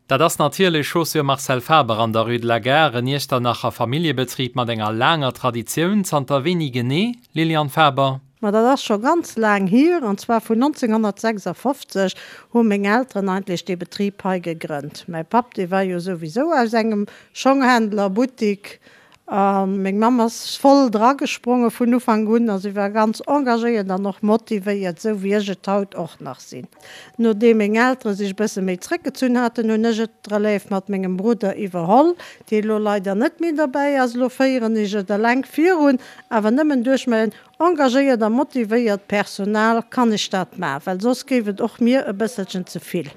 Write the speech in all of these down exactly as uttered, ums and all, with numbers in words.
Dat ass natierlech Chaussures Marcel Faber an der Rue de la Gare, en Iechternacher Familljebetrib mat enger laanger Traditioun. Zanter wéini genee, Liliane Faber? Ma dat ass scho ganz laang hier, an zwar vun nonzénghonnertsechsafofzeg hu meng Elteren eigentlech dee Betrib hei gegrënnt. Mäi Papp, dee war jo souwisou aus engem Schonghändlerbuttik a meng Mamm ass voll dragespronge vun Ufank un a si war ganz engagéiert an och motivéiert, esou wéi ech et haut och nach sinn. Nodeem meng Eltere sech e bësse méi zréckgezunn haten, hunn ech et d'Relève mat mengem Brudder iwwerholl, dee elo leider net méi derbäi ass. Elo féieren ech et eleng virun, awer nëmmen duerch mäin engagéiert a motivéiert Personal kann ech dat maachen, well soss géif et och mir e bësselchen ze vill.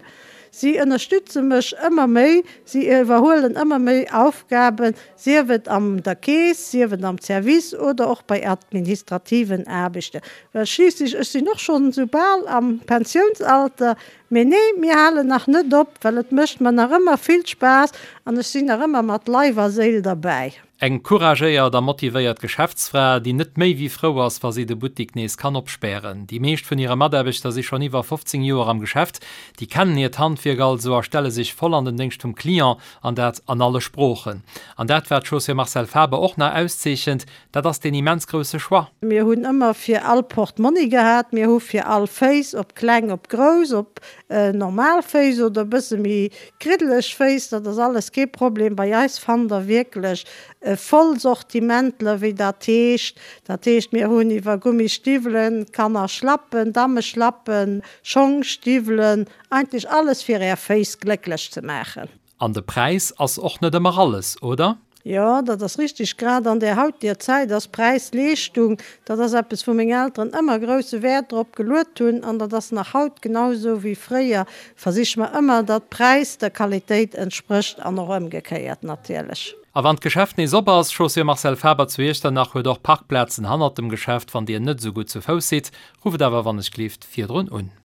Si ënnerstütze mech ëmmer méi, si iwwerhuelen ëmmer méi Aufgaben, sief et an der Keess, sief et am Service oder och bei administrativen Aarbechten. Well schliisslech, ech sinn och schonn esou bal am Pensiounsalter, mee nee, mir halen nach net op, well et mécht mer nach ëmmer vill Spaass an ech sinn nach ëmmer mat Leif a Séil derbäi. Eng couragéiert a motivéiert Geschäftsfra, déi net méi wéi frou ass, wa si de Buttik nees kann opspären. Déi meescht vun hire Mataarbechter si schonn iwwer fofzéng Joer am Geschäft. Déi kennen hiert Handwierk also a stelle sech voll an den Déngscht vum Client, an dat an alle Sproochen. An dat, wat d'Chaussure Marcel Faber och nach auszeechent, dat ass deen immens grousse Choix. Mir hunn ëmmer fir all Portmonni gehat, mir hu fir all Féiss, ob kleng, ob grouss, ob normal Féiss oder e bësse méi kriddeleg Féiss, dat ass alles kee Problem. Bei eis fannt der wierklech e Vollsortimentler, wéi dat heescht. Dat heescht, mir hunn iwwer Gummistiwwelen, Kannerschlappen, Dammeschlappen, Schong, Stiwwelen, eigentlech alles fir är Féiss glécklech ze maachen. An de Präis ass och net ëmmer alles, oder? Jo, dat ass richtig. Grad an där hautiger Zäit ass Präis-Leeschtung, dat ass eppes, wou meng Elteren ëmmer grousse Wäert drop geluet hunn an dat ass nach haut genau esou wéi fréier. Versiche mer ëmmer, datt Präis der Qualitéit entsprécht an och ëmgekéiert natierlech. A wann d'Geschäft nees op ass, Chaussures Marcel Faber zu Iechternach huet och Parkplazen hannert dem Geschäft, wann Dir net esou gutt zu Fouss sidd. Rufft awer wannechgelift virdrun un.